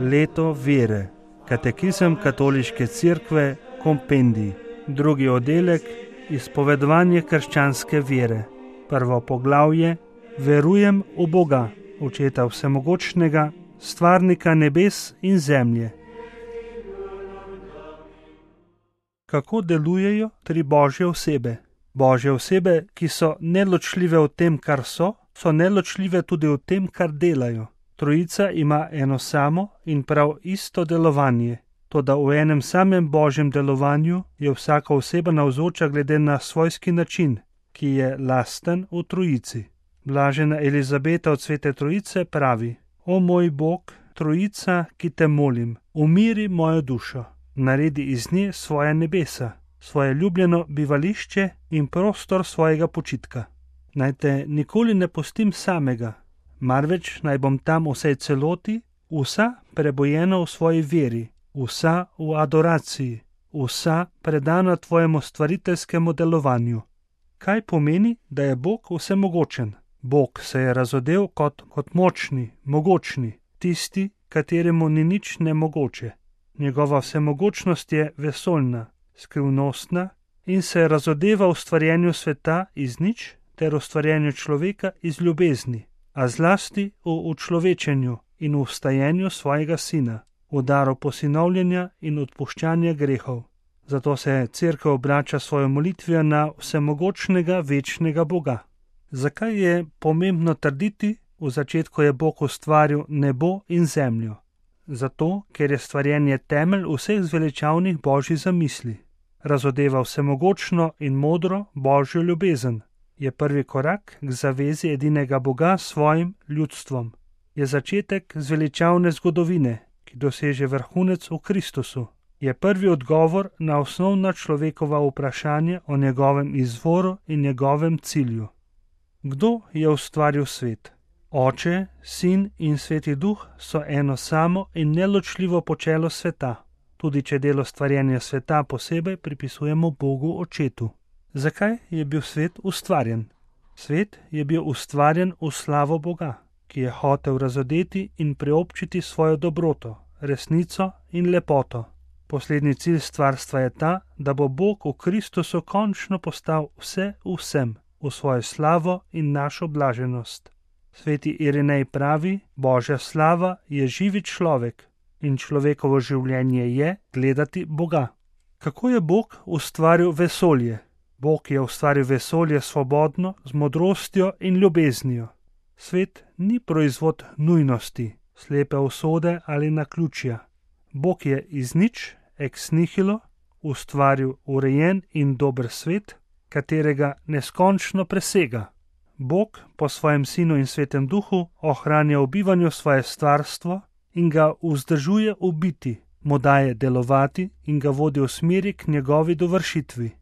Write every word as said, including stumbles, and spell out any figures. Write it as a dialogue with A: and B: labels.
A: Leto vere. Katekizem Katoliške cerkve, kompendij. Drugi oddelek, izpovedovanje krščanske vere. Prvo poglavje, verujem v Boga, Očeta vsemogočnega, stvarnika nebes in zemlje. Kako delujejo tri božje osebe? Božje osebe, ki so neločljive v tem, kar so, so neločljive tudi v tem, kar delajo. Trojica ima eno samo in prav isto delovanje, toda v enem samem božjem delovanju je vsaka oseba navzoča glede na svojski način, ki je lasten v trojici. Blažena Elizabeta od Svete Trojice pravi: O moj Bog, Trojica, ki te molim, umiri mojo dušo, naredi iz nje svoja nebesa, svoje ljubljeno bivališče in prostor svojega počitka. Naj te nikoli ne pustim samega, marveč naj bom tam vsej celoti, vsa prebojena v svoji veri, vsa v adoraciji, vsa predana tvojemu stvariteljskemu delovanju. Kaj pomeni, da je Bog vsemogočen? Bog se je razodel kot, kot močni, mogočni, tisti, kateremu ni nič nemogoče. Njegova vsemogočnost je vesoljna, skrivnostna in se razodeva v stvarjenju sveta iz nič ter v stvarjenju človeka iz ljubezni, a zlasti v učlovečenju in v vstajenju svojega sina, v daru posinovljenja in odpuščanja grehov. Zato se cerkev obrača svojo molitvijo na vsemogočnega večnega Boga. Zakaj je pomembno trditi, v začetku je Bog ustvaril nebo in zemljo? Zato, ker je stvarjenje temelj vseh zveličavnih božjih zamisli. Razodeva vsemogočno in modro božjo ljubezen. Je prvi korak k zavezi edinega Boga s svojim ljudstvom. Je začetek zveličavne zgodovine, ki doseže vrhunec v Kristusu. Je prvi odgovor na osnovna človekova vprašanja o njegovem izvoru in njegovem cilju. Kdo je ustvaril svet? Oče, Sin in Sveti Duh so eno samo in neločljivo počelo sveta, tudi če delo stvarjenja sveta posebej pripisujemo Bogu Očetu. Zakaj je bil svet ustvarjen? Svet je bil ustvarjen v slavo Boga, ki je hotel razodeti in preobčiti svojo dobroto, resnico in lepoto. Poslednji cilj stvarstva je ta, da bo Bog v Kristusu končno postal vse v vsem, v svojo slavo in našo blaženost. Sveti Irinej pravi: Božja slava je živi človek in človekovo življenje je gledati Boga. Kako je Bog ustvaril vesolje? Bog je ustvaril vesolje svobodno, z modrostjo in ljubeznijo. Svet ni proizvod nujnosti, slepe usode ali naključja. Bog je iz nič, ex nihilo, ustvaril urejen in dober svet, katerega neskončno presega. Bog po svojem Sinu in Svetem Duhu ohranja v bivanju svoje stvarstvo in ga vzdržuje v biti, mu daje delovati in ga vodi v smeri k njegovi dovršitvi.